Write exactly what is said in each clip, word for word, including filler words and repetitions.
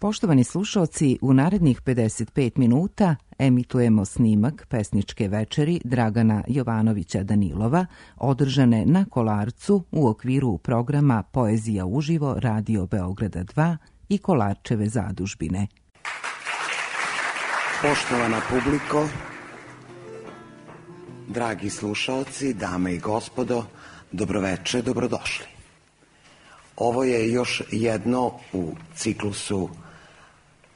Poštovani slušaoci, u narednih pedeset pet minuta emitujemo snimak pesničke večeri Dragana Jovanovića Danilova, održane na Kolarcu u okviru programa Poezija uživo Radio Beograda dva i Kolarčeve zadužbine. Poštovana publiko, dragi slušaoci, dame i gospodo, dobroveče, dobrodošli. Ovo je još jedno u ciklusu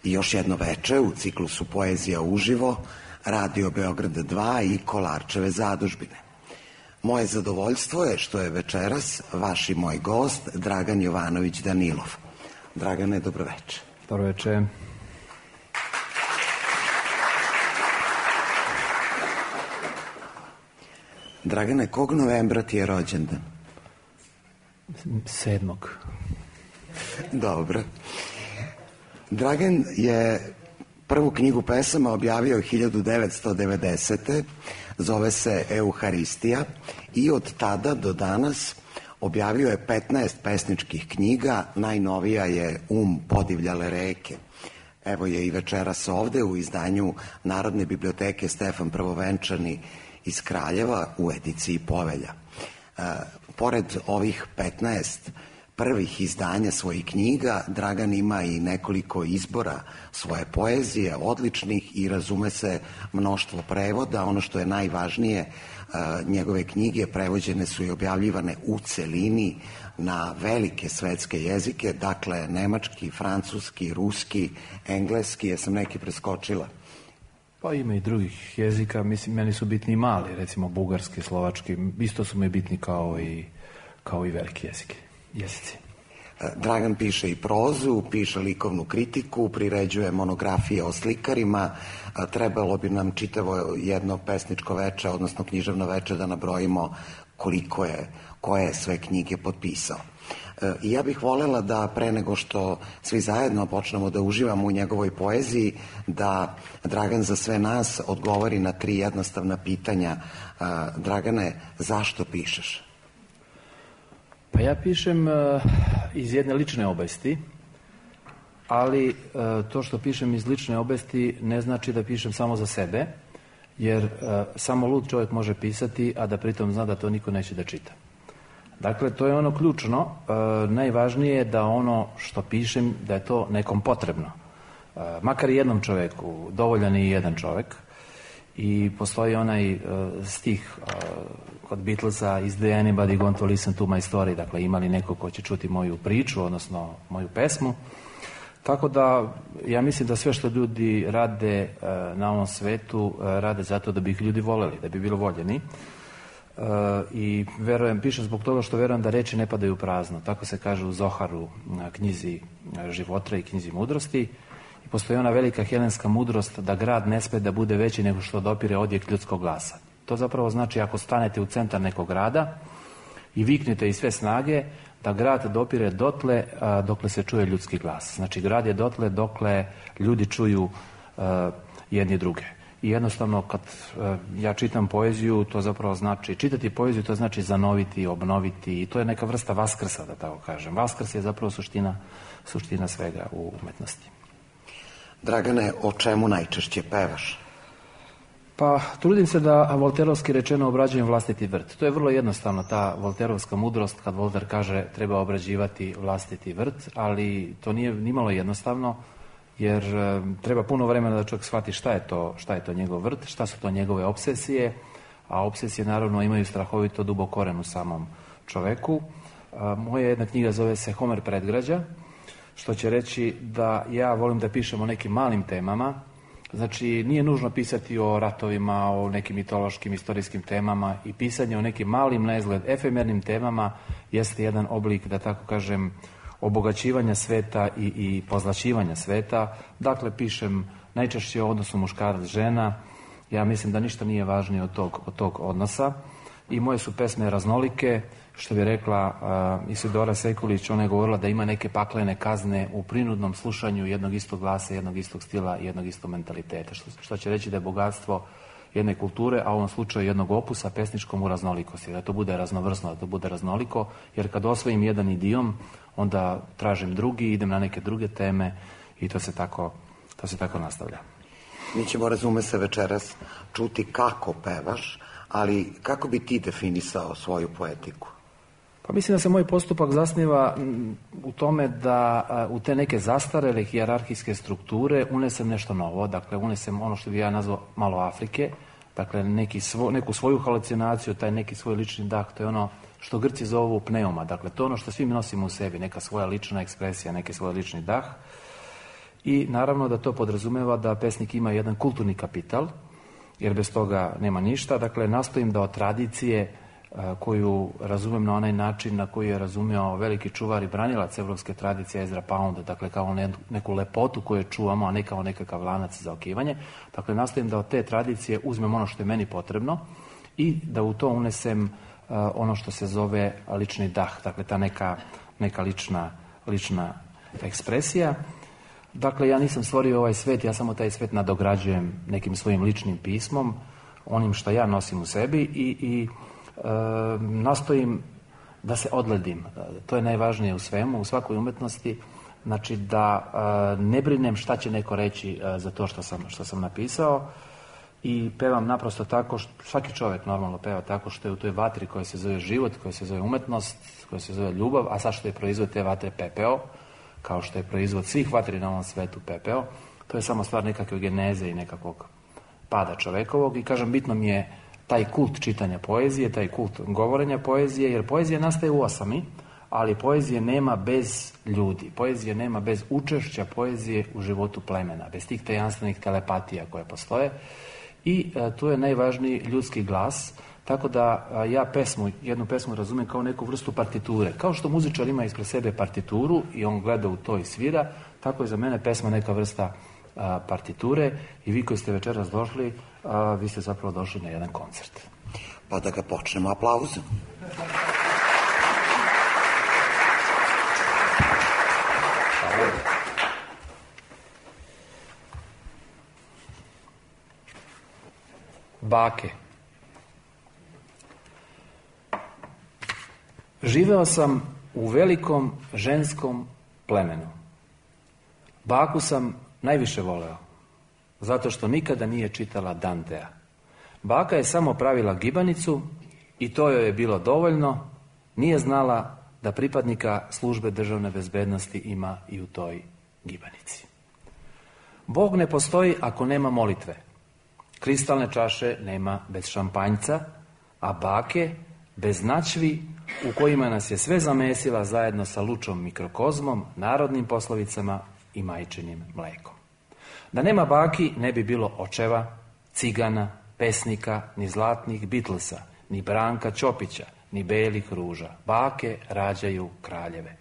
I još jedno veče u ciklusu Poezija uživo, Radio Beograda dva i Kolarčeve zadužbine. Moje zadovoljstvo je što je večeras vaš i moj gost Dragan Jovanović Danilov. Dragane, dobroveče. Dobroveče. Dragane, kog novembra ti je rođendan? Sedmog. Dobro. Dragan je prvu knjigu pesama objavio hiljadu devetsto devedesete. Zove se Euharistija i od tada do danas objavio je petnaest pesničkih knjiga. Najnovija je Um podivljale reke. Evo je i večeras ovde u izdanju Narodne biblioteke Stefan Prvovenčani iz Kraljeva u ediciji Povelja. E, pored ovih petnaest prvih izdanja svojih knjiga, Dragan ima i nekoliko izbora svoje poezije, odličnih, i razume se mnoštvo prevoda. Ono što je najvažnije, njegove knjige prevođene su i objavljivane u celini na velike svetske jezike, dakle nemački, francuski, ruski, engleski. Jesam neki preskočila? Pa ima i drugih jezika, mislim, meni su bitni mali, recimo bugarski, slovački, isto su mi bitni kao i, kao i veliki jezik. Jezici. Dragan piše i prozu, piše likovnu kritiku, priređuje monografije o slikarima. Trebalo bi nam čitavo jedno pesničko veče, odnosno književno veče, da nabrojimo koliko je, koje je sve knjige potpisao. I ja bih voljela da pre nego što svi zajedno počnemo da uživamo u njegovoj poeziji, da Dragan za sve nas odgovori na tri jednostavna pitanja. Dragane, zašto pišeš? Pa ja pišem uh, iz jedne lične obesti, ali uh, to što pišem iz lične obesti ne znači da pišem samo za sebe, jer uh, samo lud čovjek može pisati, a da pritom zna da to niko neće da čita. Dakle, to je ono ključno. Uh, najvažnije je da ono što pišem, da je to nekom potrebno. Uh, makar i jednom čovjeku, dovoljan je i jedan čovjek. I postoji onaj uh, stih uh, kod Beatlesa, is there anybody going to listen to my story, dakle ima li neko ko će čuti moju priču, odnosno moju pesmu. Tako da ja mislim da sve što ljudi rade uh, na ovom svetu uh, rade zato da bi ih ljudi voljeli, da bi bili voljeni. Uh, i verujem, pišem zbog toga što verujem da reči ne padaju prazno. Tako se kaže u Zoharu, na knjizi života i knjizi mudrosti. I postoji ona velika helenska mudrost da grad ne sme da bude veći nego što dopire odjek ljudskog glasa. To zapravo znači ako stanete u centar nekog grada i viknete iz sve snage, da grad dopire dotle a, dokle se čuje ljudski glas. Znači grad je dotle dokle ljudi čuju a, jedni druge. I jednostavno kad a, ja čitam poeziju, to zapravo znači, čitati poeziju to znači zanoviti, obnoviti, i to je neka vrsta vaskrsa, da tako kažem. Vaskrs je zapravo suština, suština svega u umetnosti. Dragane, o čemu najčešće pevaš? Pa, trudim se da volterovski rečeno obrađujem vlastiti vrt. To je vrlo jednostavno, ta volterovska mudrost, kad Volter kaže treba obrađivati vlastiti vrt, ali to nije nimalo jednostavno, jer e, treba puno vremena da čovjek shvati šta je to, šta je to njegov vrt, šta su to njegove obsesije, a obsesije naravno imaju strahovito dubok koren u samom čoveku. E, moja jedna knjiga zove se Homer predgrađa, što će reći da ja volim da pišem o nekim malim temama. Znači, nije nužno pisati o ratovima, o nekim mitološkim, istorijskim temama, i pisanje o nekim malim, na izgled efemernim temama jeste jedan oblik, da tako kažem, obogaćivanja sveta i, i pozlaćivanja sveta. Dakle, pišem najčešće o odnosu muškarac-žena. Ja mislim da ništa nije važnije od tog, od tog odnosa. I moje su pesme raznolike. Što bi rekla uh, Isidora Sekulić, ona je govorila da ima neke paklene kazne u prinudnom slušanju jednog istog glasa, jednog istog stila i jednog istog mentaliteta. Što, što će reći da je bogatstvo jedne kulture, a u ovom slučaju jednog opusa pesničkom u raznolikosti. Da to bude raznovrsno, da to bude raznoliko, jer kad osvojim jedan idiom, onda tražim drugi, idem na neke druge teme i to se tako, to se tako nastavlja. Mi ćemo, razume se, večeras čuti kako pevaš, ali kako bi ti definisao svoju poetiku? Pa mislim da se moj postupak zasniva u tome da u te neke zastarele hijerarhijske strukture unesem nešto novo, dakle unesem ono što bi ja nazvao malo Afrike, dakle neki svo, neku svoju halucinaciju, taj neki svoj lični dah, to je ono što Grci zovu pneuma, dakle to je ono što svi mi nosimo u sebi, neka svoja lična ekspresija, neki svoj lični dah. I naravno da to podrazumeva da pesnik ima jedan kulturni kapital, jer bez toga nema ništa. Dakle, nastojim da od tradicije koju razumem na onaj način na koji je razumeo veliki čuvar i branilac evropske tradicije Ezra Pound, dakle kao neku lepotu koju čuvamo, a ne kao nekakav lanac za okivanje. Dakle, nastojim da od te tradicije uzmem ono što je meni potrebno i da u to unesem ono što se zove lični dah, dakle ta neka, neka lična, lična ekspresija. Dakle, ja nisam stvorio ovaj svet, ja samo taj svet nadograđujem nekim svojim ličnim pismom, onim što ja nosim u sebi i, i e, nastojim da se odledim. To je najvažnije u svemu, u svakoj umetnosti, znači da e, ne brinem šta će neko reći e, za to što sam, što sam napisao i pevam naprosto tako, što, svaki čovjek normalno peva tako što je u toj vatri koja se zove život, koja se zove umetnost, koja se zove ljubav, a sad što je proizvod te vatre pepeo, kao što je proizvod svih vatri na ovom svetu pepeo, to je samo stvar nekakve geneze i nekakvog pada čovekovog i kažem, bitno mi je taj kult čitanja poezije, taj kult govorenja poezije, jer poezija nastaje u osami, ali poezije nema bez ljudi, poezije nema bez učešća poezije u životu plemena, bez tih tajanstvenih telepatija koje postoje i e, tu je najvažniji ljudski glas. Tako da ja pesmu, jednu pesmu razumem kao neku vrstu partiture. Kao što muzičar ima ispred sebe partituru i on gleda u to i svira, tako je za mene pesma neka vrsta a, partiture i vi koji ste večeras došli, a, vi ste zapravo došli na jedan koncert. Pa da ga počnemo aplauzom. Bake. Živeo sam u velikom ženskom plemenu. Baku sam najviše voleo, zato što nikada nije čitala Dantea. Baka je samo pravila gibanicu i to joj je bilo dovoljno, nije znala da pripadnika službe državne bezbednosti ima i u toj gibanici. Bog ne postoji ako nema molitve. Kristalne čaše nema bez šampanjca, a bake bez načvi u kojima nas je sve zamesila zajedno sa lučom mikrokozmom, narodnim poslovicama i majčinim mlekom. Da nema baki ne bi bilo očeva, cigana, pesnika, ni zlatnih Beatlesa, ni Branka Ćopića, ni belih ruža. Bake rađaju kraljeve.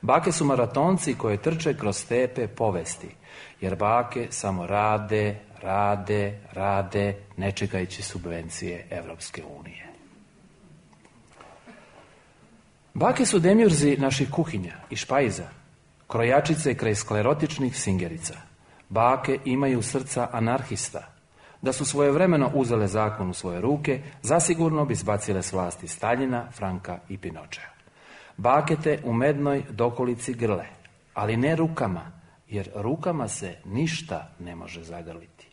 Bake su maratonci koje trče kroz stepe povesti, jer bake samo rade, rade, rade, ne čekajući subvencije Evropske unije. Bake su demjurzi naših kuhinja i špajza, krojačice kraj sklerotičnih singerica. Bake imaju srca anarhista. Da su svojevremeno uzele zakon u svoje ruke, zasigurno bi zbacile s vlasti Staljina, Franka i Pinočea. Bake te u mednoj dokolici grle, ali ne rukama, jer rukama se ništa ne može zagrliti.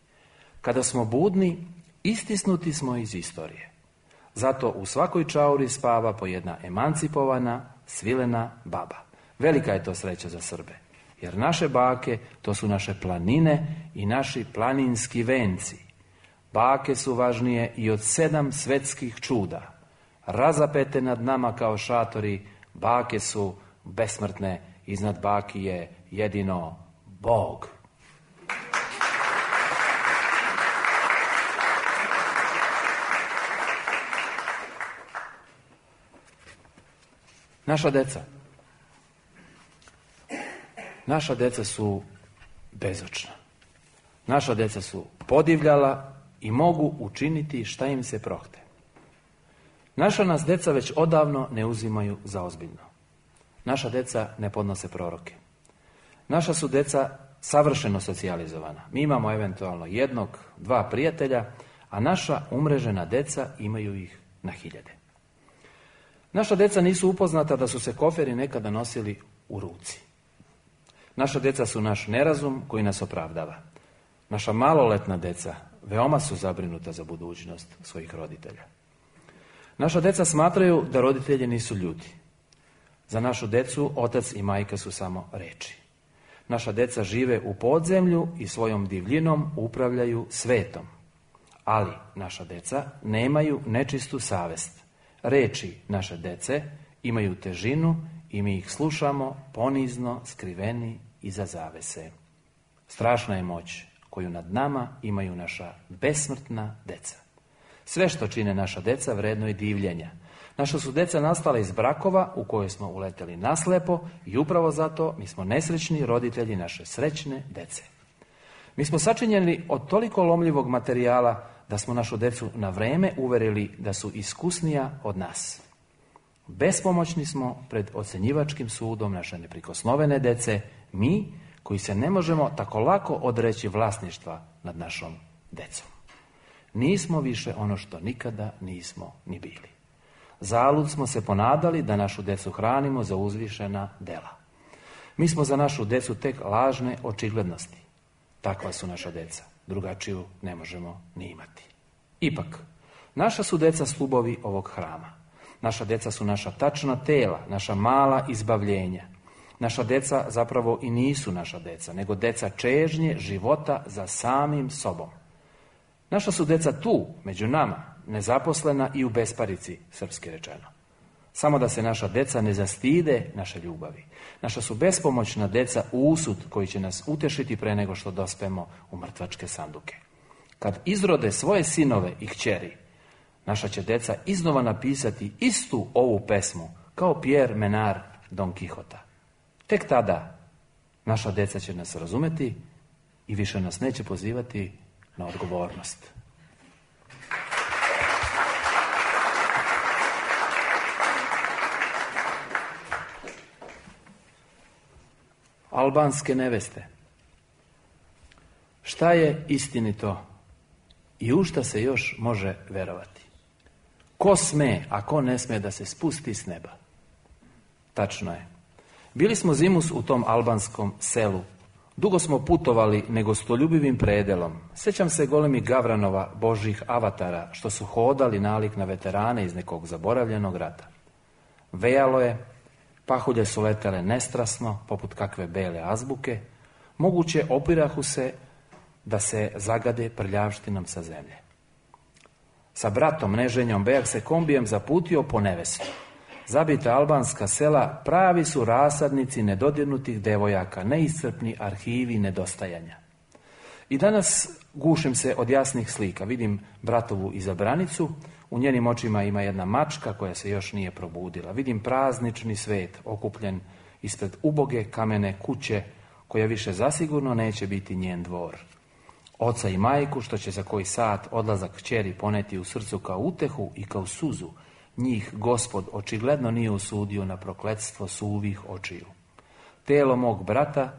Kada smo budni, istisnuti smo iz istorije. Zato u svakoj čauri spava po jedna emancipovana, svilena baba. Velika je to sreća za Srbe, jer naše bake, to su naše planine i naši planinski venci. Bake su važnije i od sedam svetskih čuda. Razapete nad nama kao šatori, bake su besmrtne, iznad baki je jedino Bog. Naša deca. Naša deca su bezočna. Naša deca su podivljala i mogu učiniti šta im se prohte. Naša nas deca već odavno ne uzimaju za ozbiljno. Naša deca ne podnose proroke. Naša su deca savršeno socijalizovana. Mi imamo eventualno jednog, dva prijatelja, a naša umrežena deca imaju ih na hiljade. Naša deca nisu upoznata da su se koferi nekada nosili u ruci. Naša deca su naš nerazum koji nas opravdava. Naša maloletna deca veoma su zabrinuta za budućnost svojih roditelja. Naša deca smatraju da roditelji nisu ljudi. Za našu decu otac i majka su samo reči. Naša deca žive u podzemlju i svojom divljinom upravljaju svetom. Ali naša deca nemaju nečistu savest. Reči naše dece imaju težinu i mi ih slušamo ponizno, skriveni iza zavese. Strašna je moć koju nad nama imaju naša besmrtna deca. Sve što čine naša deca vredno je divljenja. Naša su deca nastala iz brakova u koje smo uleteli naslepo i upravo zato mi smo nesrećni roditelji naše srećne dece. Mi smo sačinjeni od toliko lomljivog materijala da smo našu decu na vreme uverili da su iskusnija od nas. Bespomoćni smo pred ocjenjivačkim sudom naše neprikosnovene dece, mi koji se ne možemo tako lako odreći vlasništva nad našom decom. Nismo više ono što nikada nismo ni bili. Zalud smo se ponadali da našu decu hranimo za uzvišena dela. Mi smo za našu decu tek lažne očiglednosti. Takva su naša deca. Drugačiju ne možemo ni imati. Ipak, naša su deca stubovi ovog hrama. Naša deca su naša tačna tela, naša mala izbavljenja. Naša deca zapravo i nisu naša deca, nego deca čežnje života za samim sobom. Naša su deca tu, među nama, nezaposlena i u besparici, srpski rečeno. Samo da se naša deca ne zastide naše ljubavi. Naša su bespomoćna deca usud koji će nas utešiti pre nego što dospemo u mrtvačke sanduke. Kad izrode svoje sinove i kćeri, naša će deca iznova napisati istu ovu pesmu kao Pierre Menard Don Quixota. Tek tada naša deca će nas razumeti i više nas neće pozivati na odgovornost. Albanske neveste. Šta je istinito i u šta se još može verovati? Ko sme, a ko ne sme da se spusti s neba? Tačno je. Bili smo zimus u tom albanskom selu. Dugo smo putovali negostoljubivim predelom. Sjećam se golemi gavranova božjih avatara što su hodali nalik na veterane iz nekog zaboravljenog rata. Vejalo je, pahulje su letele nestrasno, poput kakve bele azbuke, moguće opirahu se da se zagade prljavštinom sa zemlje. Sa bratom Neženjom Bejak se kombijem zaputio po nevestu. Zabita albanska sela pravi su rasadnici nedodirnutih devojaka, neiscrpni arhivi nedostajanja. I danas gušim se od jasnih slika. Vidim bratovu izabranicu, u njenim očima ima jedna mačka koja se još nije probudila. Vidim praznični svet okupljen ispred uboge kamene kuće koja više zasigurno neće biti njen dvor. Oca i majku što će za koji sat odlazak kćeri poneti u srcu kao utehu i kao suzu. Njih Gospod očigledno nije usudio na prokletstvo suvih očiju. Telo mog brata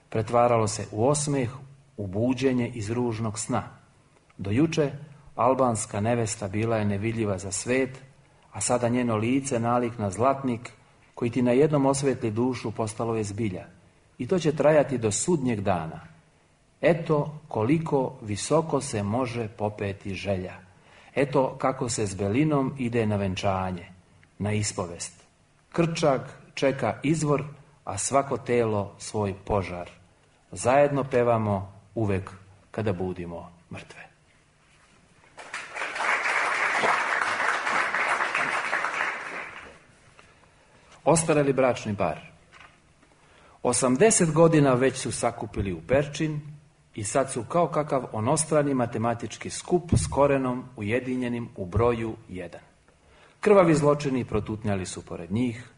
pretvaralo se u osmeh, u buđenje iz ružnog sna. Do juče albanska nevesta bila je nevidljiva za svet, a sada njeno lice nalik na zlatnik koji ti na jednom osvetli dušu postalo je zbilja. I to će trajati do sudnjeg dana. Eto koliko visoko se može popeti želja. Eto kako se s belinom ide na venčanje, na ispovest. Krčak čeka izvor, a svako telo svoj požar. Zajedno pevamo uvek kada budimo mrtve. Ostareli bračni par. Osamdeset godina već su sakupili u Perčin i sad su kao kakav onostrani matematički skup s korenom ujedinjenim u broju jedan. Krvavi zločini protutnjali su pored njih,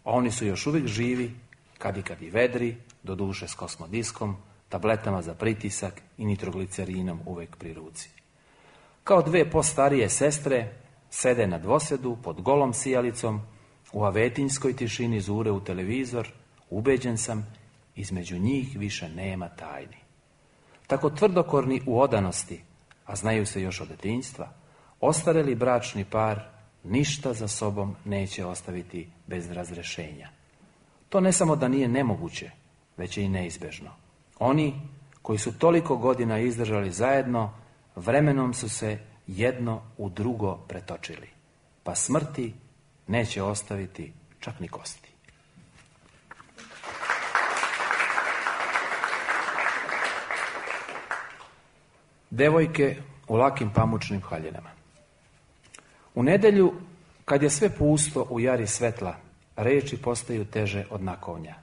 a oni su još uvijek živi, kad i kad i vedri, doduše s kosmodiskom, tabletama za pritisak i nitroglicerinom uvek pri ruci. Kao dve postarije sestre sede na dvosedu pod golom sijalicom, u avetinjskoj tišini zure u televizor, ubeđen sam, između njih više nema tajni. Tako tvrdokorni u odanosti, a znaju se još od detinjstva, ostareli bračni par ništa za sobom neće ostaviti bez razrešenja. To ne samo da nije nemoguće, već je i neizbežno. Oni koji su toliko godina izdržali zajedno, vremenom su se jedno u drugo pretočili, pa smrti neće ostaviti čak ni kosti. Devojke u lakim pamučnim haljinama. U nedjelju, kad je sve pusto u jari svetla, reči postaju teže od nakovnja.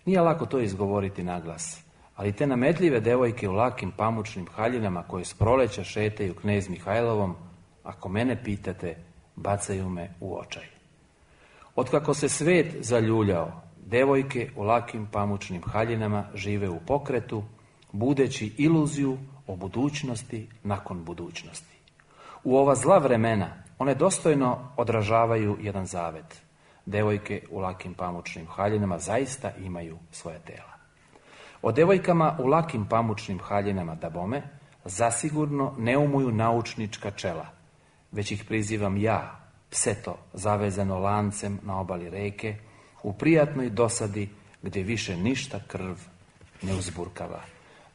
Nije lako to izgovoriti naglas, ali te nametljive devojke u lakim pamučnim haljinama koje s proleća šetaju knez Mihajlovom, ako mene pitate, bacaju me u očaj. Otkako se svet zaljuljao, devojke u lakim pamučnim haljinama žive u pokretu, budeći iluziju o budućnosti nakon budućnosti. U ova zla vremena one dostojno odražavaju jedan zavet. Devojke u lakim pamučnim haljinama zaista imaju svoje tela. O devojkama u lakim pamučnim haljinama dabome zasigurno ne umuju naučnička čela, već ih prizivam ja, pseto zavezano lancem na obali reke, u prijatnoj dosadi gdje više ništa krv ne uzburkava.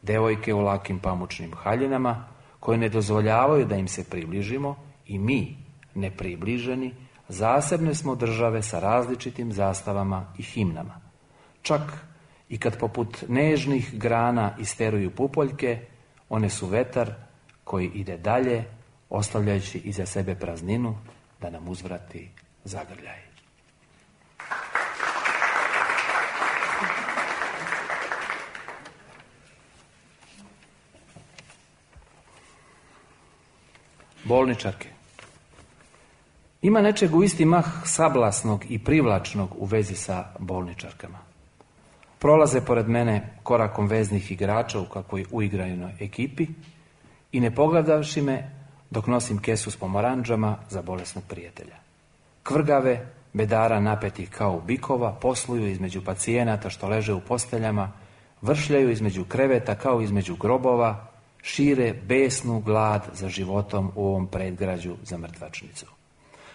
Devojke u lakim pamučnim haljinama koje ne dozvoljavaju da im se približimo i mi, nepribliženi, zasebne smo države sa različitim zastavama i himnama. Čak i kad poput nežnih grana isteruju pupoljke, one su vetar koji ide dalje, ostavljajući iza sebe prazninu da nam uzvrati zagrljaj. Bolničarke. Ima nečeg u isti mah sablasnog i privlačnog u vezi sa bolničarkama. Prolaze pored mene korakom veznih igrača u kakvoj uigrajenoj ekipi i ne pogledavši me dok nosim kesu s pomoranđama za bolesnog prijatelja. Kvrgave, bedara napetih kao bikova, posluju između pacijenata što leže u posteljama, vršljaju između kreveta kao između grobova, šire besnu glad za životom u ovom predgrađu za mrtvačnicu.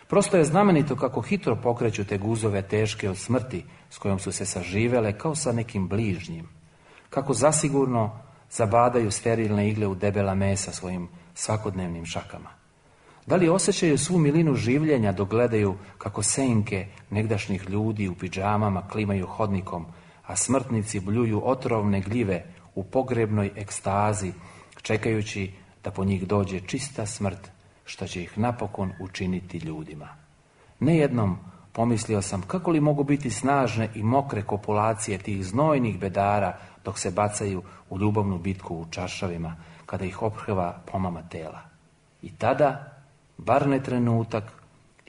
Prosto je znamenito kako hitro pokreću te guzove teške od smrti s kojom su se saživele kao sa nekim bližnjim. Kako zasigurno zabadaju sterilne igle u debela mesa svojim svakodnevnim šakama. Da li osjećaju svu milinu življenja dok gledaju kako senke negdašnjih ljudi u pidžamama klimaju hodnikom, a smrtnici bljuju otrovne gljive u pogrebnoj ekstazi, čekajući da po njih dođe čista smrt, što će ih napokon učiniti ljudima. Nejednom pomislio sam kako li mogu biti snažne i mokre kopulacije tih znojnih bedara dok se bacaju u ljubavnu bitku u čaršavima, kada ih ophrva pomama tela. I tada, bar ne trenutak,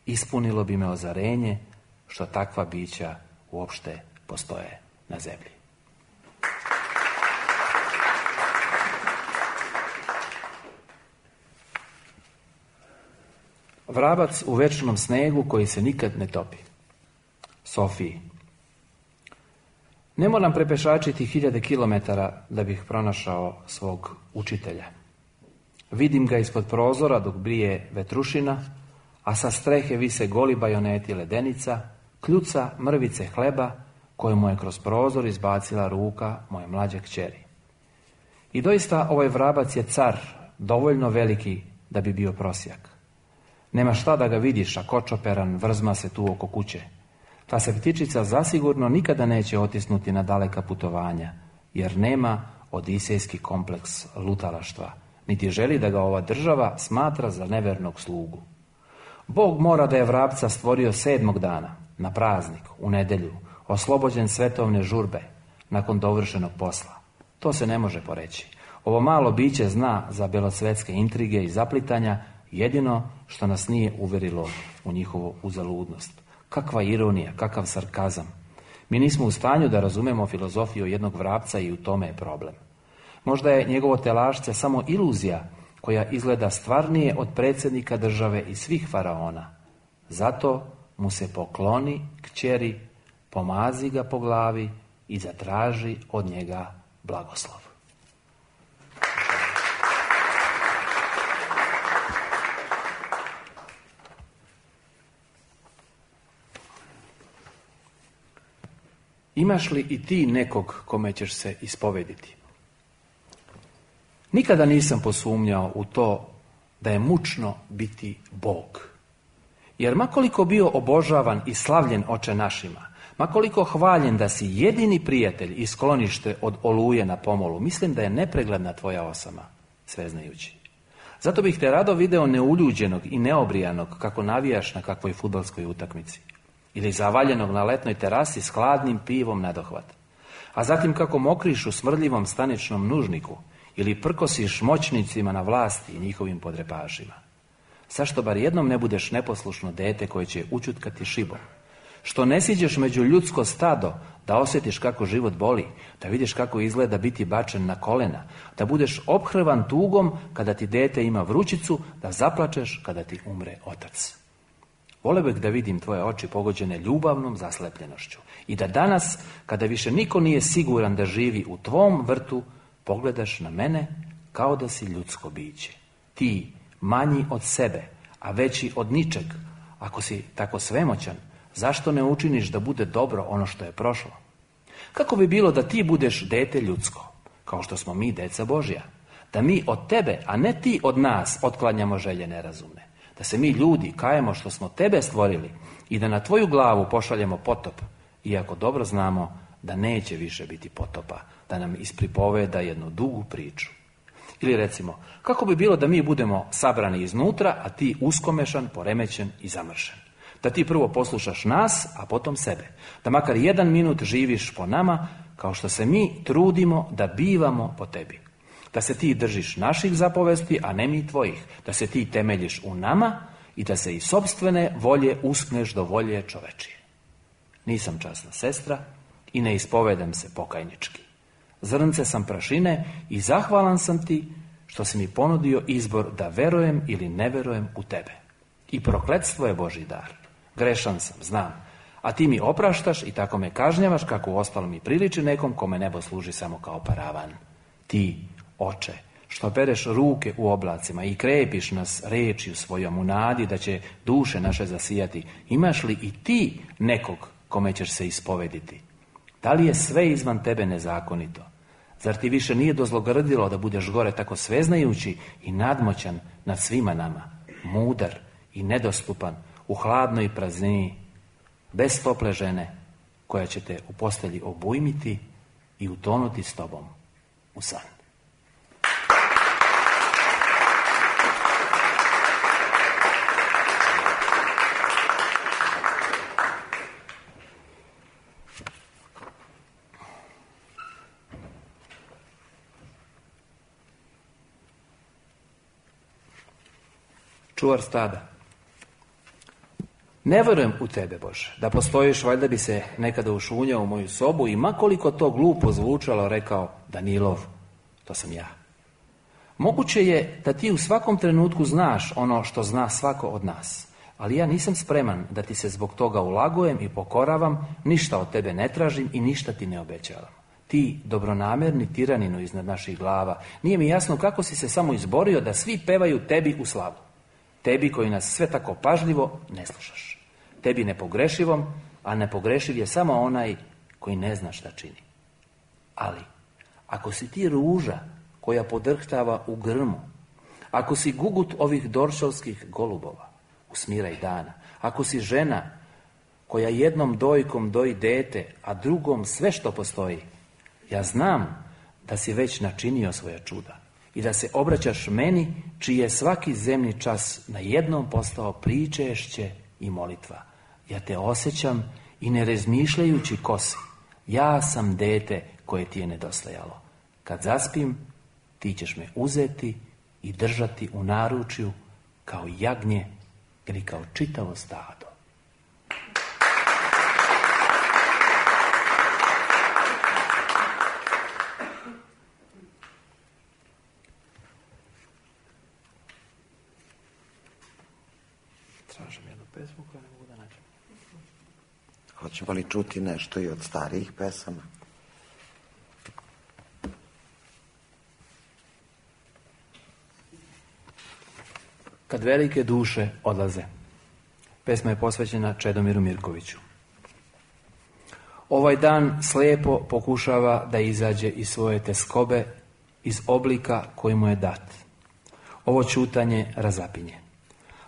ispunilo bi me ozarenje što takva bića uopšte postoje na zemlji. Vrabac u večnom snegu koji se nikad ne topi. Sofiji. Ne moram prepešačiti hiljade kilometara da bih pronašao svog učitelja. Vidim ga ispod prozora dok brije vetrušina, a sa strehe vise goli bajoneti ledenica, kljuca mrvice hleba koju mu je kroz prozor izbacila ruka moje mlađe kćeri. I doista ovaj vrabac je car, dovoljno veliki da bi bio prosjak. Nema šta da ga vidiš, a kočoperan vrzma se tu oko kuće. Ta se ptičica zasigurno nikada neće otisnuti na daleka putovanja, jer nema odisejski kompleks lutalaštva, niti želi da ga ova država smatra za nevernog slugu. Bog mora da je vrapca stvorio sedmog dana, na praznik, u nedjelju, oslobođen svetovne žurbe, nakon dovršenog posla. To se ne može poreći. Ovo malo biće zna za belosvetske intrige i zaplitanja, jedino što nas nije uverilo u njihovu uzaludnost. Kakva ironija, kakav sarkazam. Mi nismo u stanju da razumemo filozofiju jednog vrapca i u tome je problem. Možda je njegovo telašce samo iluzija koja izgleda stvarnije od predsjednika države i svih faraona. Zato mu se pokloni kćeri, pomazi ga po glavi i zatraži od njega blagoslov. Imaš li i ti nekog kome ćeš se ispovediti? Nikada nisam posumnjao u to da je mučno biti Bog. Jer makoliko bio obožavan i slavljen oče našima, makoliko hvaljen da si jedini prijatelj i sklonište od oluje na pomolu, mislim da je nepregledna tvoja osama, sveznajući. Zato bih te rado video neuljuđenog i neobrijanog kako navijaš na kakvoj fudbalskoj utakmici. Ili zavaljenog na letnoj terasi s hladnim pivom nadohvat. A zatim kako mokriš u smrdljivom staničnom nužniku ili prkosiš moćnicima na vlasti i njihovim podrepašima. Zašto bar jednom ne budeš neposlušno dete koje će učutkati šibom? Što ne siđeš među ljudsko stado da osjetiš kako život boli, da vidiš kako izgleda biti bačen na kolena, da budeš ophrvan tugom kada ti dete ima vrućicu, da zaplačeš kada ti umre otac. Vole bih da vidim tvoje oči pogođene ljubavnom zaslepljenošću i da danas, kada više niko nije siguran da živi u tvom vrtu, pogledaš na mene kao da si ljudsko biće. Ti, manji od sebe, a veći od ničeg, ako si tako svemoćan, zašto ne učiniš da bude dobro ono što je prošlo? Kako bi bilo da ti budeš dete ljudsko, kao što smo mi deca Božja? Da mi od tebe, a ne ti od nas, otklanjamo želje nerazumne. Da se mi ljudi kajemo što smo tebe stvorili i da na tvoju glavu pošaljemo potop, iako dobro znamo da neće više biti potopa, da nam ispripoveda jednu dugu priču. Ili recimo, kako bi bilo da mi budemo sabrani iznutra, a ti uskomešan, poremećen i zamršen? Da ti prvo poslušaš nas, a potom sebe. Da makar jedan minut živiš po nama, kao što se mi trudimo da bivamo po tebi. Da se ti držiš naših zapovesti, a ne mi tvojih. Da se ti temeljiš u nama i da se iz sopstvene volje uskneš do volje čovečije. Nisam časna sestra i ne ispovedam se pokajnički. Zrnce sam prašine i zahvalan sam ti što si mi ponudio izbor da verujem ili ne verujem u tebe. I prokletstvo je Božji dar. Grešan sam, znam. A ti mi opraštaš i tako me kažnjavaš kako u ostalom mi priliči nekom kome nebo služi samo kao paravan. Ti, oče, što pereš ruke u oblacima i krepiš nas rečju svojom u nadi da će duše naše zasijati, imaš li i ti nekog kome ćeš se ispovediti? Da li je sve izvan tebe nezakonito? Zar ti više nije dozlogrdilo da budeš gore tako sveznajući i nadmoćan nad svima nama, mudar i nedostupan, u hladnoj praznini, bez tople žene, koja će te u postelji obujmiti i utonuti s tobom u san? Čuvar stada. Ne verujem u tebe, Bože, da postojiš, valjda bi se nekada ušunjao u moju sobu i makoliko to glupo zvučalo rekao, Danilov, to sam ja. Moguće je da ti u svakom trenutku znaš ono što zna svako od nas, ali ja nisam spreman da ti se zbog toga ulagujem i pokoravam, ništa od tebe ne tražim i ništa ti ne obećavam. Ti, dobronamerni tiraninu iznad naših glava, nije mi jasno kako si se samo izborio da svi pevaju tebi u slavu. Tebi koji nas sve tako pažljivo ne slušaš. Tebi nepogrešivom, a nepogrešiv je samo onaj koji ne zna šta čini. Ali, ako si ti ruža koja podrhtava u grmu, ako si gugut ovih doršovskih golubova u smiraj dana, ako si žena koja jednom dojkom doji dete, a drugom sve što postoji, ja znam da si već načinio svoja čuda i da se obraćaš meni, čiji je svaki zemni čas na jednom postao pričešće i molitva. Ja te osjećam i ne razmišljajući ko si. Ja sam dete koje ti je nedostajalo. Kad zaspim, ti ćeš me uzeti i držati u naručju kao jagnje ili kao čitavo stado. Tražim jednu pesmu koju ne mogu da nađem. Hoćemo li čuti nešto i od starijih pesama? Kad velike duše odlaze. Pesma je posvećena Čedomiru Mirkoviću. Ovaj dan slijepo pokušava da izađe iz svoje teskobe, iz oblika koji mu je dat. Ovo ćutanje razapinje.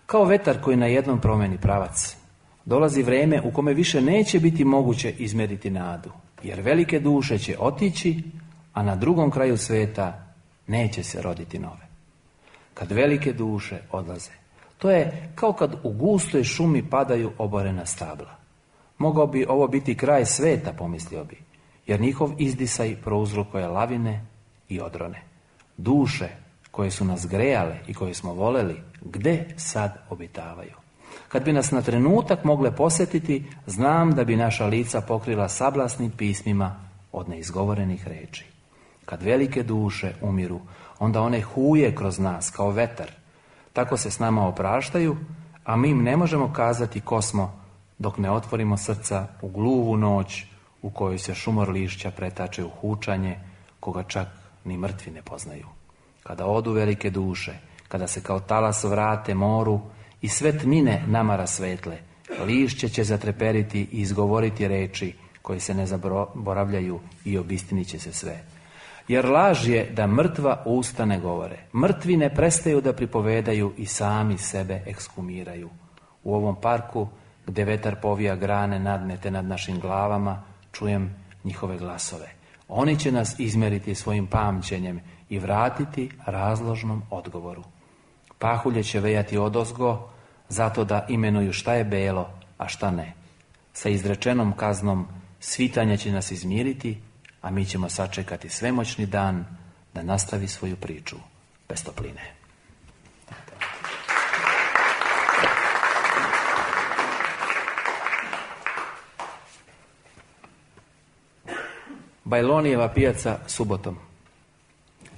Kao vetar koji na jednom promeni pravac, dolazi vrijeme u kome više neće biti moguće izmjeriti nadu, jer velike duše će otići, a na drugom kraju svijeta neće se roditi nove. Kad velike duše odlaze, to je kao kad u gustoj šumi padaju oborena stabla. Mogao bi ovo biti kraj sveta, pomislio bi, jer njihov izdisaj prouzrokuje lavine i odrone. Duše koje su nas grejale i koje smo voleli, gde sad obitavaju? Kad bi nas na trenutak mogle posjetiti, znam da bi naša lica pokrila sablasnim pismima od neizgovorenih reči. Kad velike duše umiru, onda one huje kroz nas kao vetar. Tako se s nama opraštaju, a mi im ne možemo kazati ko smo, dok ne otvorimo srca u gluvu noć u kojoj se šumor lišća pretače u hučanje, koga čak ni mrtvi ne poznaju. Kada odu velike duše, kada se kao talas vrate moru i sve tmine nama rasvetle, lišće će zatreperiti i izgovoriti reči koje se ne zaboravljaju i obistinit će se sve. Jer laž je da mrtva usta ne govore. Mrtvi ne prestaju da pripovedaju i sami sebe ekskumiraju. U ovom parku, gdje vetar povija grane nadnete nad našim glavama, čujem njihove glasove. Oni će nas izmeriti svojim pamćenjem i vratiti razložnom odgovoru. Pahulje će vejati odozgo, zato da imenuju šta je belo, a šta ne. Sa izrečenom kaznom svitanje će nas izmiriti, a mi ćemo sačekati svemoćni dan da nastavi svoju priču bez topline. Bajlonijeva pijaca subotom.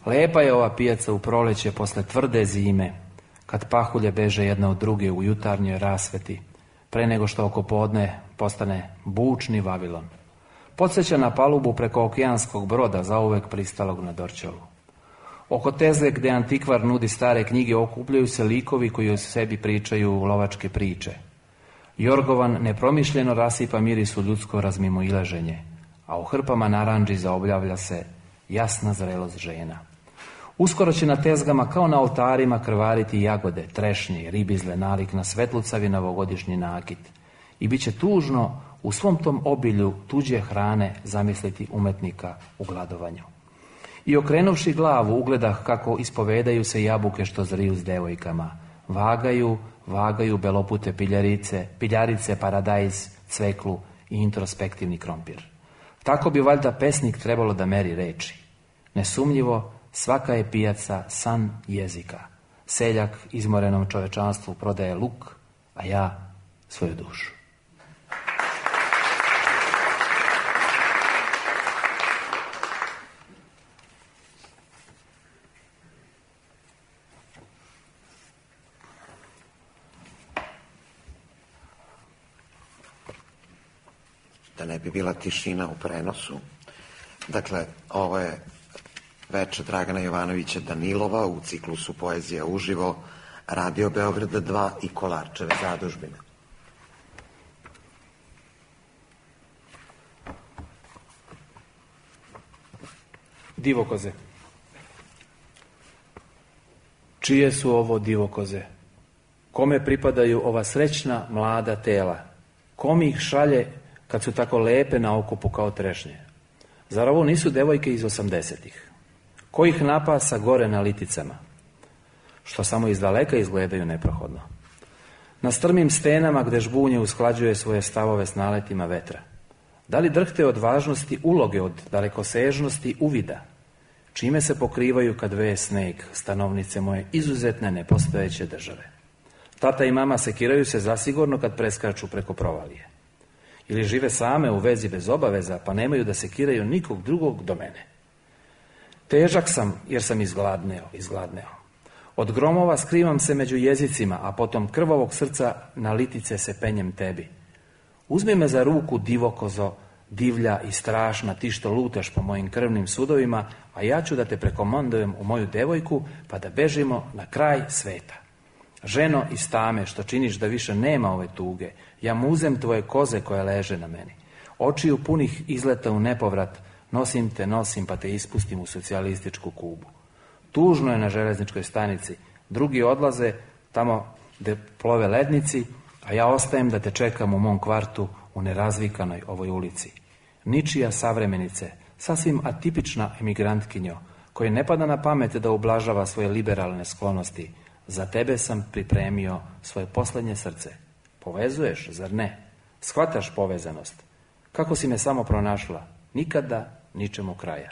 Lepa je ova pijaca u proleće posle tvrde zime, kad pahulje beže jedna od druge u jutarnjoj rasveti, pre nego što oko podne postane bučni Vavilon. Podsjeća na palubu preko okeanskog broda, zauvek pristalog na Dorćolu. Oko tezge gdje antikvar nudi stare knjige okupljaju se likovi koji o sebi pričaju lovačke priče. Jorgovan nepromišljeno rasipa mirisu ljudsko razmimoilaženje, a u hrpama naranđi zaobljavlja se jasna zrelost žena. Uskoro će na tezgama kao na oltarima krvariti jagode, trešnje, ribizle, nalik na svetlucavi novogodišnji nakit. I bit će tužno u svom tom obilju tuđe hrane zamisliti umetnika u gladovanju. I okrenuvši glavu ugledah kako ispovedaju se jabuke što zriju s devojkama. Vagaju, vagaju belopute piljarice, piljarice, paradajz, cveklu i introspektivni krompir. Tako bi valjda pesnik trebalo da meri reči. Nesumnjivo, svaka je pijaca san jezika. Seljak izmorenom čovečanstvu prodaje luk, a ja svoju dušu. Da ne bi bila tišina u prenosu. Dakle, ovo je veče Dragana Jovanovića Danilova u ciklusu Poezija uživo, Radio Beograda dva i Kolarčeve zadužbine. Divokoze. Čije su ovo divokoze? Kome pripadaju ova srećna mlada tela? Kom ih šalje kad su tako lepe na okupu kao trešnje? Zar ovo nisu devojke iz osamdesetih? Ko ih napasa gore na liticama, što samo iz daleka izgledaju neprohodno? Na strmim stenama gde žbunje usklađuje svoje stavove s naletima vetra. Da li drhte od važnosti uloge, od dalekosežnosti uvida? Čime se pokrivaju kad veje sneg, stanovnice moje izuzetne nepostojeće države? Tata i mama sekiraju se zasigurno kad preskaču preko provalije. Ili žive same u vezi bez obaveza, pa nemaju da sekiraju nikog drugog do mene. Težak sam jer sam izgladneo, izgladneo. Od gromova skrivam se među jezicima, a potom krvavog srca na litice se penjem tebi. Uzmi me za ruku, divokozo, divlja i strašna, ti što lutaš po mojim krvnim sudovima, a ja ću da te prekomandujem u moju devojku, pa da bežimo na kraj sveta. Ženo iz tame, što činiš da više nema ove tuge, ja muzem tvoje koze koje leže na meni. Očiju punih izleta u nepovrat, nosim te, nosim pa te ispustim u socijalističku Kubu. Tužno je na železničkoj stanici, drugi odlaze tamo gde plove lednici, a ja ostajem da te čekam u mom kvartu u nerazvikanoj ovoj ulici. Ničija savremenice, sasvim atipična emigrantkinjo, koji ne pada na pamet da ublažava svoje liberalne sklonosti, za tebe sam pripremio svoje poslednje srce. Povezuješ, zar ne? Shvataš povezanost. Kako si me samo pronašla? Nikada, ničemu kraja.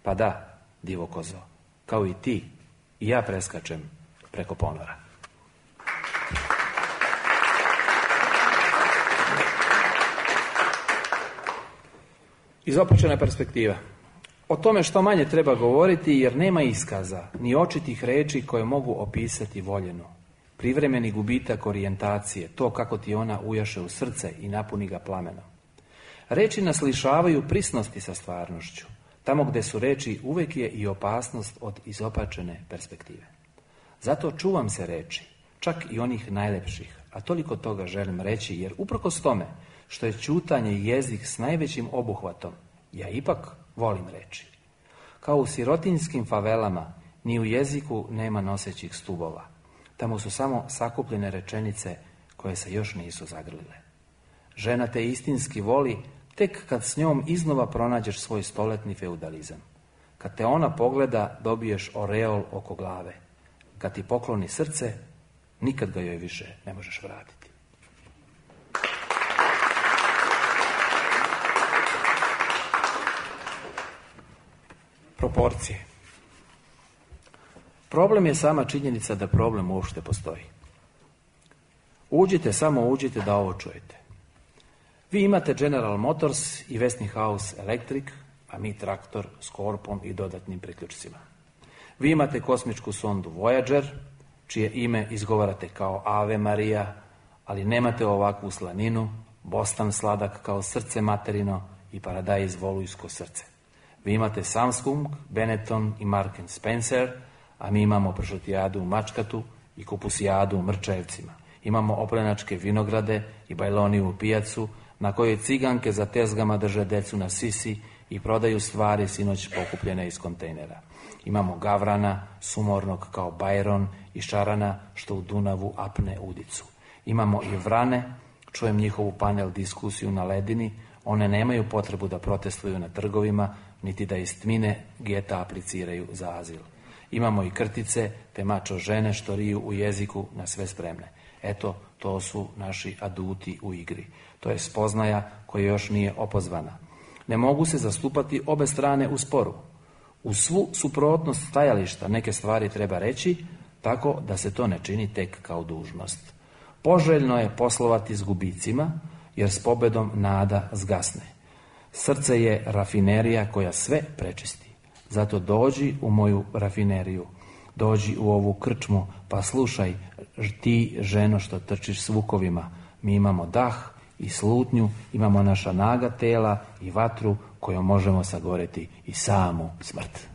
Pa da, divo kozo, kao i ti, i ja preskačem preko ponora. Izopačena perspektiva. O tome što manje treba govoriti, jer nema iskaza, ni očitih reči koje mogu opisati voljenu. Privremeni gubitak orijentacije, to kako ti ona ujaše u srce i napuni ga plamenom. Reči nas lišavaju prisnosti sa stvarnošću. Tamo gde su reči, uvek je i opasnost od izopačene perspektive. Zato čuvam se reči, čak i onih najlepših, a toliko toga želim reći, jer uprkos tome što je ćutanje jezik s najvećim obuhvatom, ja ipak volim reči. Kao u sirotinjskim favelama, ni u jeziku nema nosećih stubova. Tamo su samo sakupljene rečenice koje se još nisu zagrlile. Žena te istinski voli tek kad s njom iznova pronađeš svoj stoletni feudalizam. Kad te ona pogleda, dobiješ oreol oko glave. Kad ti pokloni srce, nikad ga joj više ne možeš vratiti. Proporcije. Problem je sama činjenica da problem uopšte postoji. Uđite, samo uđite da ovo čujete. Vi imate General Motors i Westinghouse Electric, a mi traktor s korpom i dodatnim priključcima. Vi imate kosmičku sondu Voyager, čije ime izgovarate kao Ave Maria, ali nemate ovakvu slaninu, bostan sladak kao srce materino i paradajz volujsko srce. Vi imate Samsung, Benetton i Mark and Spencer, a mi imamo pršutijadu u Mačkatu i kupusijadu u Mrčajevcima. Imamo oplenačke vinograde i bajloniju pijacu, na kojoj ciganke za tezgama drže decu na sisi i prodaju stvari sinoć pokupljene iz kontejnera. Imamo Gavrana, sumornog kao Bajron, i Šarana što u Dunavu apne udicu. Imamo i Vrane, čujem njihovu panel diskusiju na ledini, one nemaju potrebu da protestuju na trgovima, niti da iz tmine geta apliciraju za azil. Imamo i Krtice, te mačo žene što riju u jeziku na sve spremne. Eto, to su naši aduti u igri. To je spoznaja koja još nije opozvana. Ne mogu se zastupati obe strane u sporu. U svu suprotnost stajališta neke stvari treba reći, tako da se to ne čini tek kao dužnost. Poželjno je poslovati s gubicima, jer s pobedom nada zgasne. Srce je rafinerija koja sve prečisti. Zato dođi u moju rafineriju, dođi u ovu krčmu, pa slušaj ti, ženo, što trčiš s vukovima. Mi imamo dah i slutnju, imamo naša naga tela i vatru kojom možemo sagoreti i samu smrt.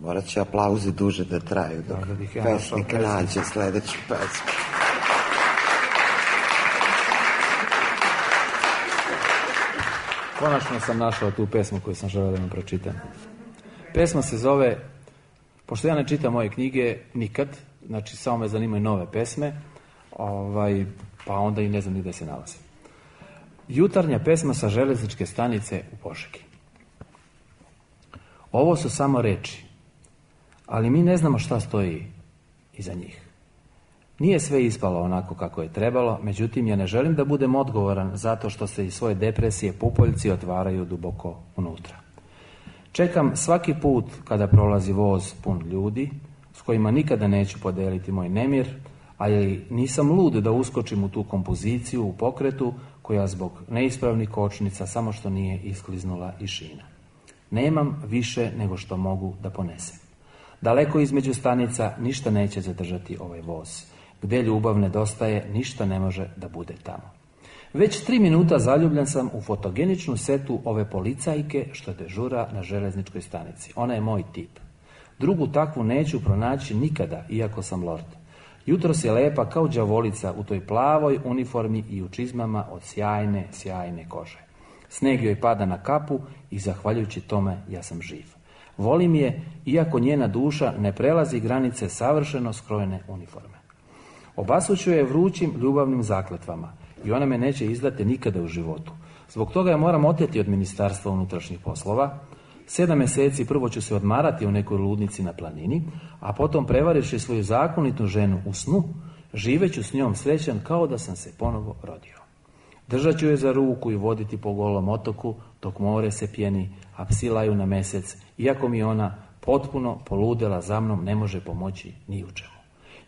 Morat će aplauzi duže da traju dok da, da pesnik nađe sledeću pesmu. Konačno sam našao tu pesmu koju sam želeo da vam pročitam. Pesma se zove, pošto ja ne čitam moje knjige nikad, znači samo me zanimaju nove pesme, ovaj, pa onda i ne znam ni gde se nalaze. Jutarnja pesma sa železničke stanice u Požegi. Ovo su samo reči, ali mi ne znamo šta stoji iza njih. Nije sve ispalo onako kako je trebalo, međutim ja ne želim da budem odgovoran zato što se iz svoje depresije pupoljci otvaraju duboko unutra. Čekam svaki put kada prolazi voz pun ljudi, s kojima nikada neću podeliti moj nemir, ali nisam lud da uskočim u tu kompoziciju u pokretu koja zbog neispravnih kočnica samo što nije iskliznula iz šina. Nemam više nego što mogu da ponesem. Daleko između stanica ništa neće zadržati ovaj voz. Gde ljubav nedostaje, ništa ne može da bude tamo. Već tri minuta zaljubljen sam u fotogeničnu setu ove policajke što dežura na železničkoj stanici. Ona je moj tip. Drugu takvu neću pronaći nikada, iako sam lord. Jutros je lepa kao đavolica u toj plavoj uniformi i u čizmama od sjajne, sjajne kože. Sneg joj pada na kapu i zahvaljujući tome ja sam živ. Volim je, iako njena duša ne prelazi granice savršeno skrojene uniforme. Obasuću je vrućim ljubavnim zakletvama i ona me neće izdati nikada u životu. Zbog toga je moram oteti od Ministarstva unutrašnjih poslova. Sedam mjeseci prvo ću se odmarati u nekoj ludnici na planini, a potom prevarivši svoju zakonitu ženu u snu, živeću s njom srećan kao da sam se ponovo rodio. Držat ću je za ruku i voditi po golom otoku, dok more se pjeni, a psi laju na mjesec, iako mi ona potpuno poludela za mnom ne može pomoći ni u čemu.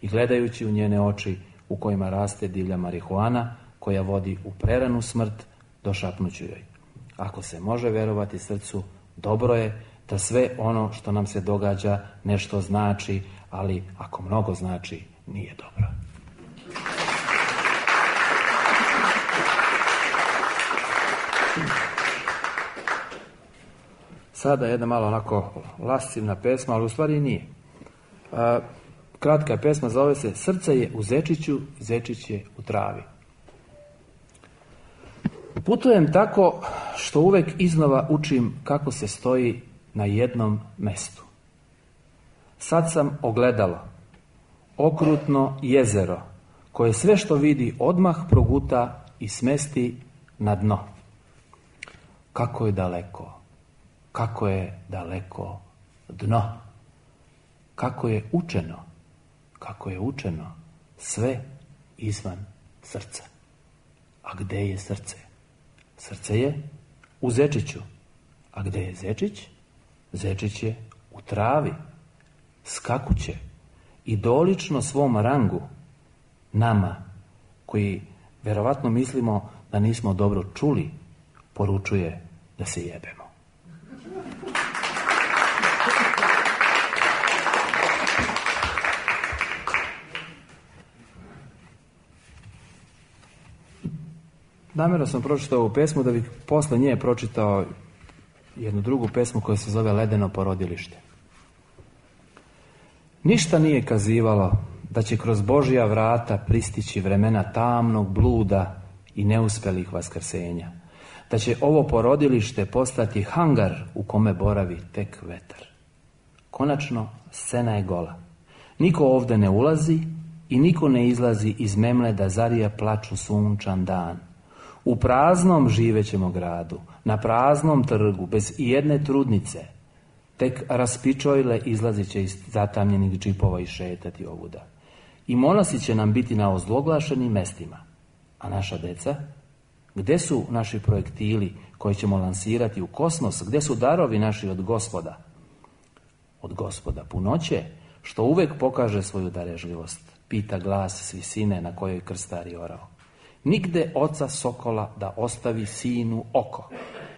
I gledajući u njene oči u kojima raste divlja marihuana, koja vodi u preranu smrt, došapnuću joj. Ako se može vjerovati srcu, dobro je da sve ono što nam se događa nešto znači, ali ako mnogo znači, nije dobro. Sada jedna malo onako lascivna pesma, ali u stvari nije. A, kratka je pesma, zove se Srce je u zečiću, zečić je u travi. Putujem tako što uvek iznova učim kako se stoji na jednom mestu. Sad sam ogledalo, okrutno jezero, koje sve što vidi odmah proguta i smesti na dno. Kako je daleko, kako je daleko dno, kako je učeno, kako je učeno sve izvan srca. A gde je srce? Srce je u zečiću. A gde je zečić? Zečić je u travi. Skakuće i dolično svom rangu, nama, koji verovatno mislimo da nismo dobro čuli, poručuje da se jebemo. Namjerno sam pročitao ovu pesmu da bih posle nje pročitao jednu drugu pesmu koja se zove Ledeno porodilište. Ništa nije kazivalo da će kroz Božja vrata pristići vremena tamnog bluda i neuspelih vaskrsenja, da će ovo porodilište postati hangar u kome boravi tek vetar. Konačno, scena je gola. Niko ovde ne ulazi i niko ne izlazi iz memle da zarija plaču sunčan dan. U praznom živećemo gradu, na praznom trgu, bez ijedne trudnice, tek raspičojle izlazit će iz zatamljenih džipova i šetati ovuda. I monasi će nam biti na ozloglašenim mestima. A naša deca? Gde su naši projektili koje ćemo lansirati u kosmos? Gde su darovi naši od Gospoda? Od Gospoda punoće, što uvek pokaže svoju darežljivost, pita glas s visine na kojoj krstari orao. Nigde oca sokola da ostavi sinu oko,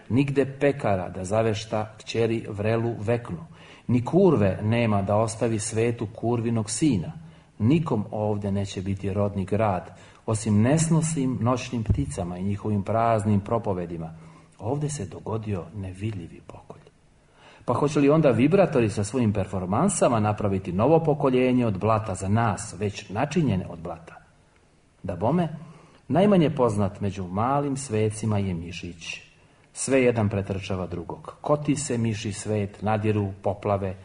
nigde pekara da zavešta kćeri vrelu veknu, ni kurve nema da ostavi svetu kurvinog sina. Nikom ovde neće biti rodni grad, osim nesnosnim noćnim pticama i njihovim praznim propovedima. Ovde se dogodio nevidljivi pokolj. Pa hoće li onda vibratori sa svojim performansama napraviti novo pokoljenje od blata za nas, već načinjene od blata? Da bome, najmanje poznat među malim svecima je mišić. Sve jedan pretrčava drugog. Koti se miši svet, nadiru poplave,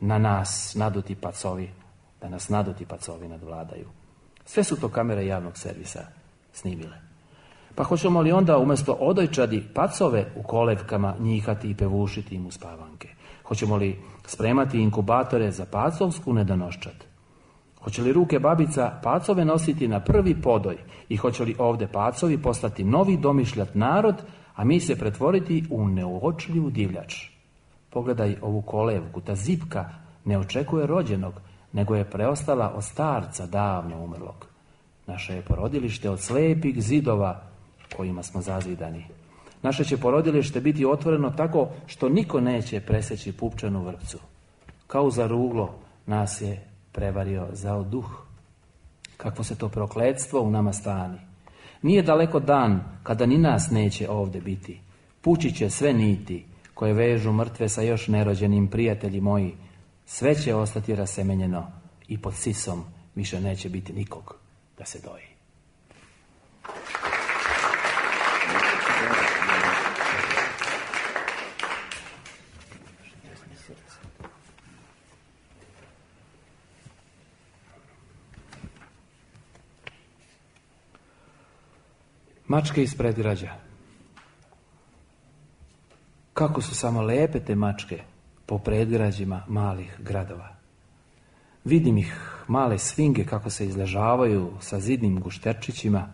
na nas naduti pacovi, da nas naduti pacovi nadvladaju. Sve su to kamere javnog servisa snimile. Pa hoćemo li onda umjesto odojčadi pacove u kolevkama njihati i pevušiti im uspavanke? Hoćemo li spremati inkubatore za pacovsku nedonoščad? Hoće li ruke babica pacove nositi na prvi podoj i hoće li ovde pacovi postati novi domišljat narod, a mi se pretvoriti u neuočljivu divljač? Pogledaj ovu kolevku, ta zipka ne očekuje rođenog, nego je preostala od starca davno umrlog. Naše je porodilište od slepih zidova kojima smo zazidani. Naše će porodilište biti otvoreno tako što niko neće preseći pupčanu vrpcu. Kao za ruglo nas je prevario zao duh. Kakvo se to prokletstvo u nama stani. Nije daleko dan kada ni nas neće ovdje biti. Pući će sve niti koje vežu mrtve sa još nerođenim, prijatelji moji. Sve će ostati rasemenjeno i pod sisom više neće biti nikog da se doji. Mačke iz predgrađa. Kako su samo lepe te mačke po predgrađima malih gradova. Vidim ih, male svinge, kako se izležavaju sa zidnim gušterčićima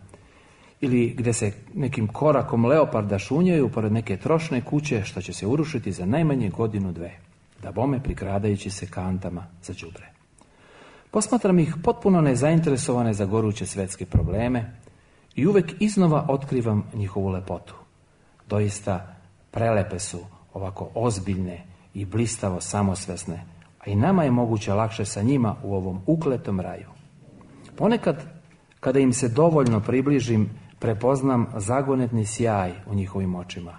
ili gdje se nekim korakom leoparda šunjaju pored neke trošne kuće što će se urušiti za najmanje godinu dve, da bome prikradajući se kantama za đubre. Posmatram ih potpuno nezainteresovane za goruće svetske probleme i uvek iznova otkrivam njihovu lepotu. Doista prelepe su, ovako ozbiljne i blistavo samosvesne, a i nama je moguće lakše sa njima u ovom ukletom raju. Ponekad, kada im se dovoljno približim, prepoznam zagonetni sjaj u njihovim očima.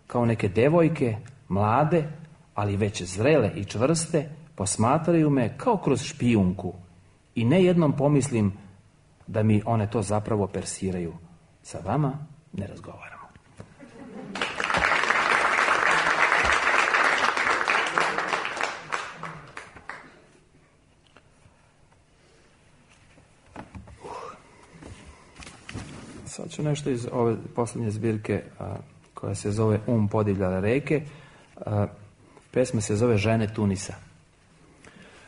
Kao neke devojke, mlade, ali već zrele i čvrste, posmatraju me kao kroz špijunku i ne jednom pomislim da mi one to zapravo persiraju. Sa vama ne razgovaramo. Sad ću nešto iz ove posljednje zbirke a, koja se zove Um podivljale reke. A, pesma se zove Žene Tunisa.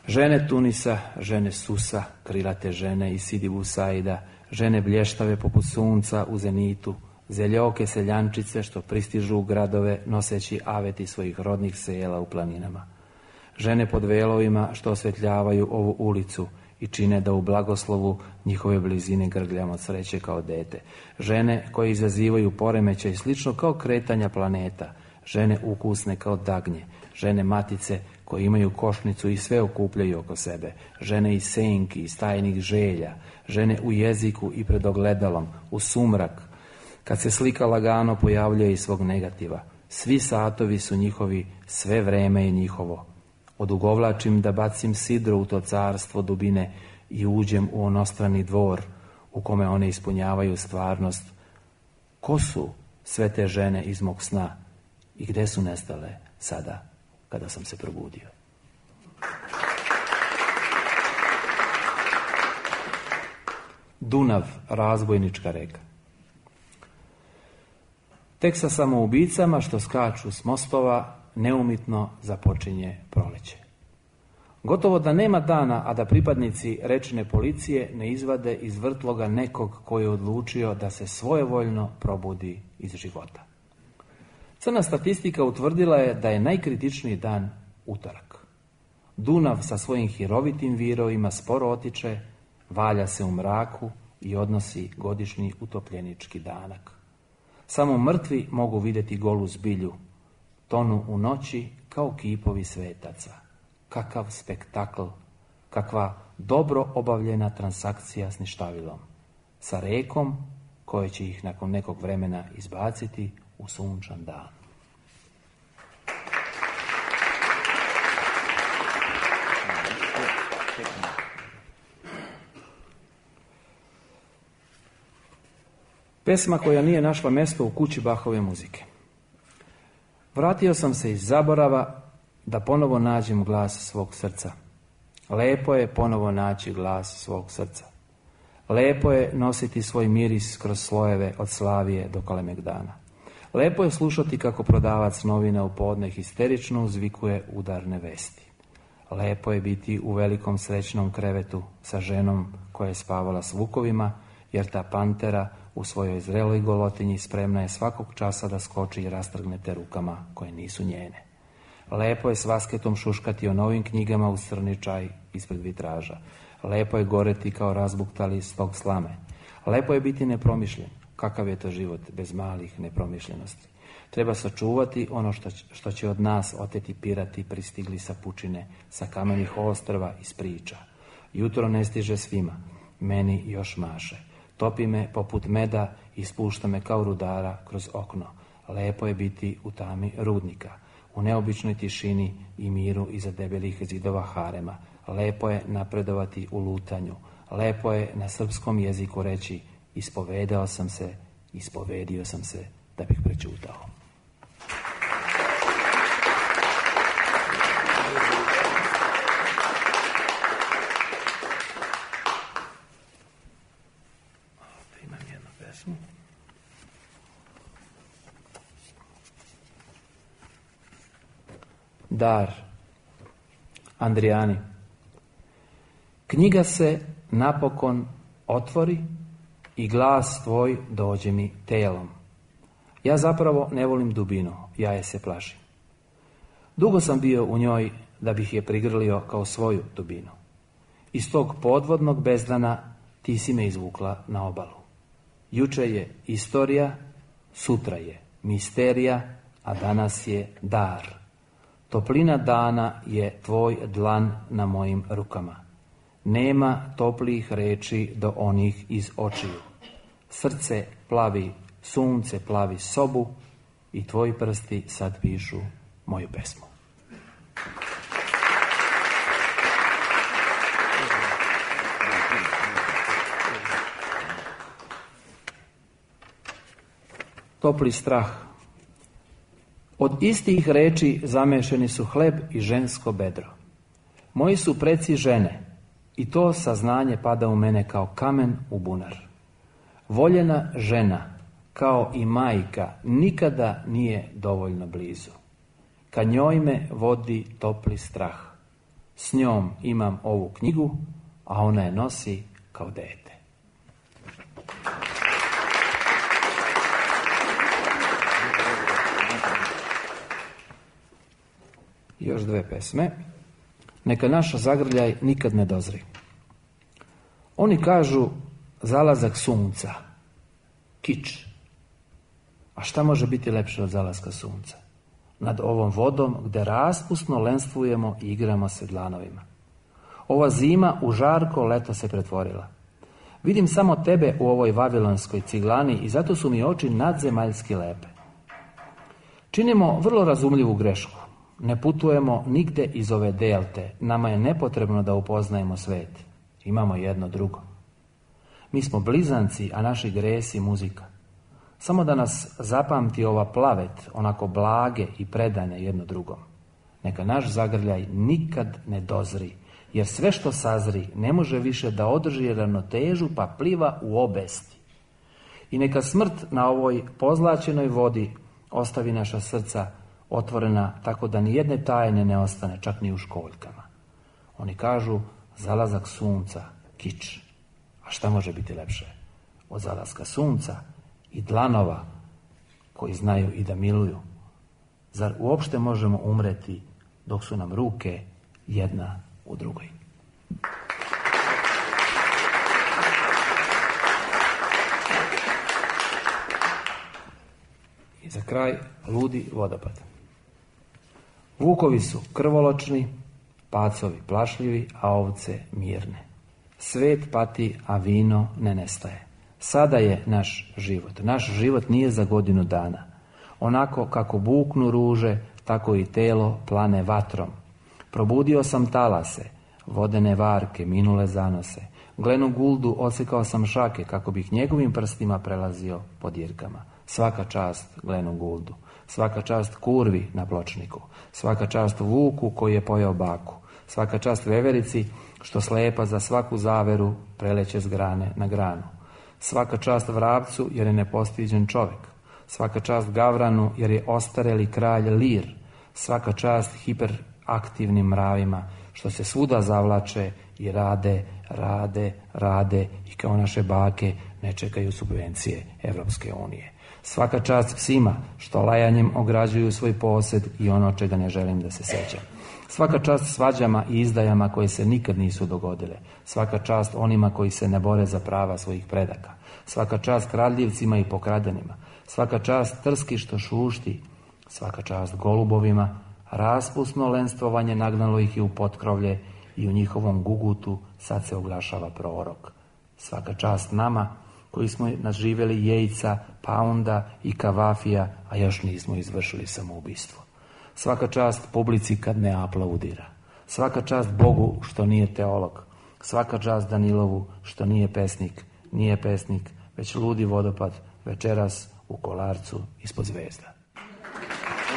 Žene Tunisa, žene Susa, krilate žene iz Sidi Busaida, žene blještave poput sunca u zenitu, zeljoke seljančice što pristižu u gradove noseći aveti svojih rodnih sela u planinama. Žene pod velovima što osvetljavaju ovu ulicu i čine da u blagoslovu njihove blizine grgljam od sreće kao dete. Žene koje izazivaju poremećaj slično kao kretanja planeta. Žene ukusne kao dagnje. Žene matice koje imaju košnicu i sve okupljaju oko sebe. Žene iz senki, iz tajnih želja. Žene u jeziku i pred ogledalom, u sumrak. Kad se slika lagano pojavljuje iz svog negativa. Svi satovi su njihovi, sve vreme je njihovo. Odugovlačim da bacim sidro u to carstvo dubine i uđem u onostrani dvor u kome one ispunjavaju stvarnost. Ko su sve te žene iz mog sna i gde su nestale sada kada sam se probudio? Dunav, razbojnička reka. Tek sa samoubicama što skaču s mostova neumitno započinje proleće. Gotovo da nema dana, a da pripadnici rečne policije ne izvade iz vrtloga nekog koji je odlučio da se svojevoljno probudi iz života. Crna statistika utvrdila je da je najkritičniji dan utorak. Dunav sa svojim hirovitim virovima sporo otiče, valja se u mraku i odnosi godišnji utopljenički danak. Samo mrtvi mogu vidjeti golu zbilju, tonu u noći kao kipovi svetaca. Kakav spektakl, kakva dobro obavljena transakcija s ništavilom, sa rekom koje će ih nakon nekog vremena izbaciti u sunčan dan. Pesma koja nije našla mjesto u kući Bachove muzike. Vratio sam se iz zaborava da ponovo nađem glas svog srca. Lepo je ponovo naći glas svog srca. Lepo je nositi svoj miris kroz slojeve od Slavije do Kalemegdana. Lepo je slušati kako prodavac novina u podne histerično uzvikuje udarne vesti. Lepo je biti u velikom srećnom krevetu sa ženom koja je spavala s vukovima, jer ta pantera u svojoj zreloj golotinji spremna je svakog časa da skoči i rastrgne te rukama koje nisu njene. Lepo je s vasketom šuškati o novim knjigama uz crni čaj ispred vitraža. Lepo je goreti kao razbuktali stog slame. Lepo je biti nepromišljen. Kakav je to život bez malih nepromišljenosti? Treba sačuvati ono što, što će od nas oteti pirati pristigli sa pučine, sa kamenih ostrva iz priča. Jutro ne stiže svima, meni još maše. topi me poput meda i spušta me kao rudara kroz okno. Lepo je biti u tami rudnika, u neobičnoj tišini i miru iza debelih zidova harema. Lepo je napredovati u lutanju. Lepo je na srpskom jeziku reći ispovedao sam se, ispovedio sam se da bih prećutao. Imam jednu pesmu. Dar, Andrijani. Knjiga se napokon otvori i glas tvoj dođe mi telom. Ja zapravo ne volim dubinu, ja je se plašim. Dugo sam bio u njoj da bih je prigrlio kao svoju dubinu. Iz tog podvodnog bezdana ti si me izvukla na obalu. Juče je istorija, sutra je misterija, a danas je dar. Toplina dana je tvoj dlan na mojim rukama. Nema toplih reči do onih iz očiju. Srce plavi, sunce plavi sobu i tvoji prsti sad pišu moju pesmu. Topli strah. Od istih reči zamešani su hleb i žensko bedro. Moji su preci žene i to saznanje pada u mene kao kamen u bunar. Voljena žena, kao i majka, nikada nije dovoljno blizu. Ka njoj me vodi topli strah. S njom imam ovu knjigu, a ona je nosi kao dete. Još dve pesme. Neka naš zagrljaj nikad ne dozri. Oni kažu zalazak sunca, kič. A šta može biti lepše od zalaska sunca? Nad ovom vodom gde raspusno lenstvujemo i igramo se dlanovima. Ova zima u žarko leto se pretvorila. Vidim samo tebe u ovoj vavilonskoj ciglani i zato su mi oči nadzemaljski lepe. Činimo vrlo razumljivu grešku. Ne putujemo nigde iz ove delte. Nama je nepotrebno da upoznajemo svet. Imamo jedno drugo. Mi smo blizanci, a naši gresi muzika. Samo da nas zapamti ova plavet, onako blage i predane jedno drugom. Neka naš zagrljaj nikad ne dozri, jer sve što sazri ne može više da održi ravnotežu pa pliva u obesti. I neka smrt na ovoj pozlaćenoj vodi ostavi naša srca otvorena tako da ni jedne tajne ne ostane, čak ni u školjkama. Oni kažu zalazak sunca, kič. A šta može biti lepše od zalaska sunca i dlanova koji znaju i da miluju? Zar uopšte možemo umreti dok su nam ruke jedna u drugoj? I za kraj ludi vodopad. Vukovi su krvoločni, pacovi plašljivi, a ovce mirne. Svet pati, a vino ne nestaje. Sada je naš život. Naš život nije za godinu dana. Onako kako buknu ruže, tako i telo plane vatrom. Probudio sam talase, vodene varke, minule zanose. Glenu Guldu odsekao sam šake, kako bih njegovim prstima prelazio po dirkama. Svaka čast Glenu Guldu. Svaka čast kurvi na pločniku. Svaka čast vuku koji je pojeo baku. Svaka čast veverici što slepa za svaku zaveru preleće s grane na granu. Svaka čast vrapcu jer je nepostiđen čovjek. Svaka čast gavranu jer je ostareli kralj lir. Svaka čast hiperaktivnim mravima što se svuda zavlače i rade, rade, rade i kao naše bake ne čekaju subvencije Evropske unije. Svaka čast psima što lajanjem ograđuju svoj posjed i ono čega ne želim da se sećam. Svaka čast svađama i izdajama koje se nikad nisu dogodile. Svaka čast onima koji se ne bore za prava svojih predaka. Svaka čast kradljivcima i pokradenima. Svaka čast trski što šušti. Svaka čast golubovima. Raspusno lenstvovanje nagnalo ih i u potkrovlje i u njihovom gugutu sad se oglašava prorok. Svaka čast nama koji smo naživjeli jejca, paunda i kavafija, a još nismo izvršili samoubistvo. Svaka čast publici kad ne aplaudira. Svaka čast Bogu što nije teolog. Svaka čast Danilovu što nije pesnik. Nije pesnik, već ludi vodopad večeras u Kolarcu ispod zvezda.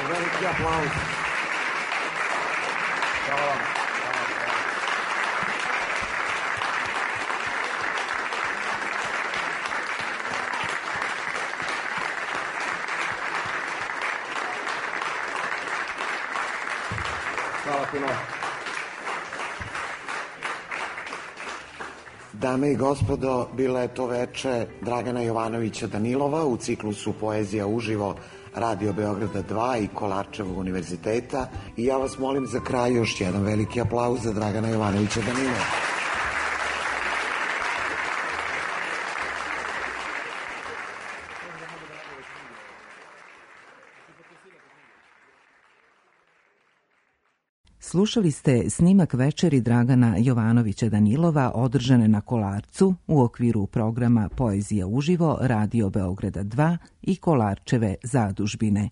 Veliki aplauz. Hvala vam. Hvala puno. Dame i gospodo, bila je to veče Dragana Jovanovića Danilova u ciklusu Poezija uživo Radio Beograda dva i Kolarčevog univerziteta i ja vas molim za kraj još jedan veliki aplauz za Dragana Jovanovića Danilova. Slušali ste snimak večeri Dragana Jovanovića Danilova održane na Kolarcu u okviru programa Poezija uživo Radio Beograda dva i Kolarčeve zadužbine.